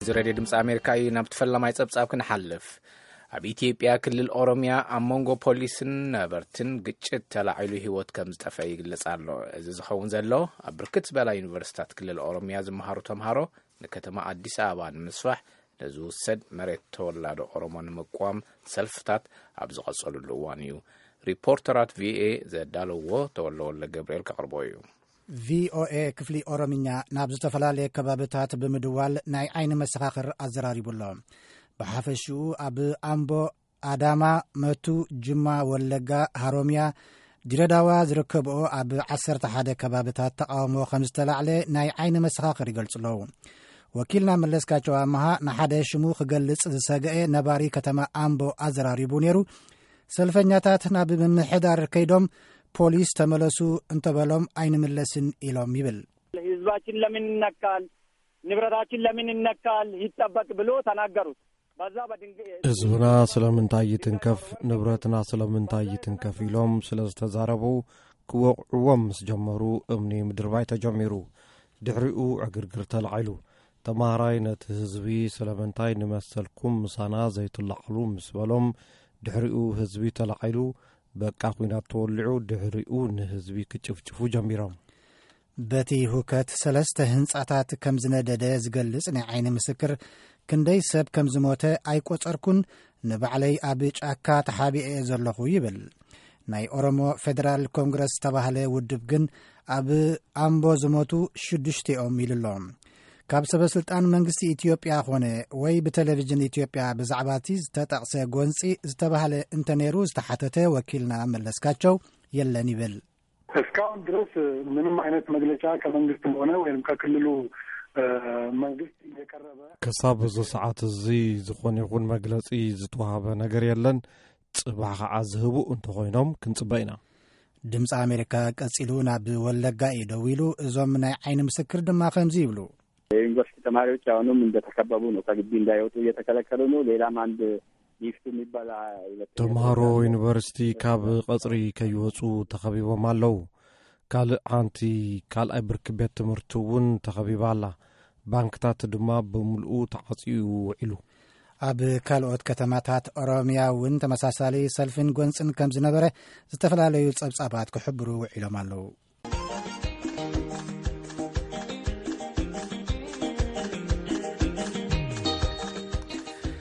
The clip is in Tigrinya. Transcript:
እዚ ሬድዮ ድምፂ ኣሜሪካ እዩ። ናብ ተፈላማይ ፀብፃብ ክንሓልፍ፣ ኣብ ኢትዮጵያ ክልል ኦሮሚያ ኣብ መንጎ ፖሊስን ነበርትን ግጭት ተላዒሉ ህይወት ከም ዝጠፈ ይግለጽ ኣሎ። እዚ ዝኸውን ዘሎ፣ ኣብ ብርክት ዝበላ ዩኒቨርሲታት ክልል ኦሮሚያ ዝመሃሩ ተምሃሮ ንከተማ ኣዲስ ኣበባ ንምስፋሕ ነዝውሰድ መሬት ተወላዶ ኦሮሞ ንምቋም ሰልፍታት ኣብ ዝቐጸሉሉ እዋን እዩ። ሪፖርተራት ቪኦኤ ዘዳለዎ ተወለ ወልደ ገብርኤል ከቕርቦ እዩ። ቪኦኤ ክፍሊ ኦሮምኛ ናብ ዝተፈላለየ ከባብታት ብምድዋል ናይ ዓይኒ መሰኻኽር ኣዘራሪቡ ኣሎ። ብሓፈሽኡ ኣብ ኣምቦ፣ ኣዳማ፣ መቱ፣ ጅማ፣ ወለጋ፣ ሃሮሚያ፣ ድሬዳዋ ዝርከብኦ ኣብ ዓሰርተ ሓደ ከባብታት ተቃውሞ ከም ዝተላዕለ ናይ ዓይኒ መሰኻኽር ይገልጹ ኣለዉ። ወኪልና መለስካቸው ኣመሃ ንሓደ ሽሙ ክገልጽ ዝሰገኤ ነባሪ ከተማ ኣምቦ ኣዘራሪቡ ነይሩ። ሰልፈኛታት ናብ ምምሕዳር ከይዶም ፖሊስ ተመለሱ እንተበሎም ኣይንምለስን ኢሎም ይብል። ህዝባችን ለምን ይነካል? ንብረታችን ለምን ይነካል? ይጠበቅ ብሎ ተናገሩት። በዛ በድንግ ህዝብና ስለምንታይ ይትንከፍ፣ ንብረትና ስለምንታይ ይትንከፍ ኢሎም ስለ ዝተዛረቡ፣ ክወቕዕዎም ምስ ጀመሩ እምኒ ምድርባይ ተጀሚሩ። ድሕሪኡ ዕግርግር ተላዒሉ። ተማሃራይ ነቲ ህዝቢ ስለምንታይ ንመሰልኩም ምሳና ዘይትለዓሉ ምስ በሎም፣ ድሕሪኡ ህዝቢ ተላዒሉ። በቃ ኲናት ተወሊዑ። ድሕሪኡ ንህዝቢ ክጭፍጭፉ ጀሚሮም። በቲ ሁከት ሰለስተ ህንጻታት ከም ዝነደደ ዝገልጽ ናይ ዓይኒ ምስክር፣ ክንደይ ሰብ ከም ዝሞተ ኣይቆጸርኩን፣ ንባዕለይ ኣብ ጫካ ተሓቢኤ ዘለኹ ይብል። ናይ ኦሮሞ ፌደራል ኮንግረስ ዝተባህለ ውድብ ግን ኣብ ኣምቦ ዝሞቱ ሽዱሽቲኦም ኢሉ ኣሎ። ካብ ሰበ ስልጣን መንግስቲ ኢትዮጵያ ኾነ ወይ ብቴሌቪዥን ኢትዮጵያ ብዛዕባ እቲ ዝተጠቕሰ ጎንጺ ዝተባህለ እንተነይሩ ዝተሓተተ ወኪልና መለስካቸው የለን ይብል። እስካሁን ድረስ ምንም አይነት መግለጫ ከመንግስትም ሆነ ወይም ከክልሉ መንግስት የቀረበ ክሳብ እዚ ሰዓት እዚ ዝኾነ ይኹን መግለጺ ዝተዋሃበ ነገር የለን። ጽባሕ ከዓ ዝህቡ እንተኾይኖም ክንጽበ ኢና። ድምፂ ኣሜሪካ ቀጺሉ ናብ ወለጋ እዩ ደዊሉ። እዞም ናይ ዓይኒ ምስክር ድማ ከምዚ ይብሉ። የዩኒቨርሲቲ ተማሪዎች አሁንም እንደተከበቡ ነው። ከግቢ እንዳይወጡ እየተከለከሉ ነው። ሌላም አንድ ሊፍት የሚባል ተምሃሮ ዩኒቨርሲቲ ካብ ቀጽሪ ከይወጹ ተኸቢቦም ኣለዉ። ካልእ ሓንቲ ካልኣይ ብርኪ ቤት ትምህርቲ እውን ተኸቢባ ኣላ። ባንክታት ድማ ብምልኡ ተዓጽዩ ውዒሉ። ኣብ ካልኦት ከተማታት ኦሮሚያ እውን ተመሳሳሊ ሰልፍን ጎንፅን ከም ዝነበረ ዝተፈላለዩ ጸብጻባት ክሕብሩ ውዒሎም ኣለዉ።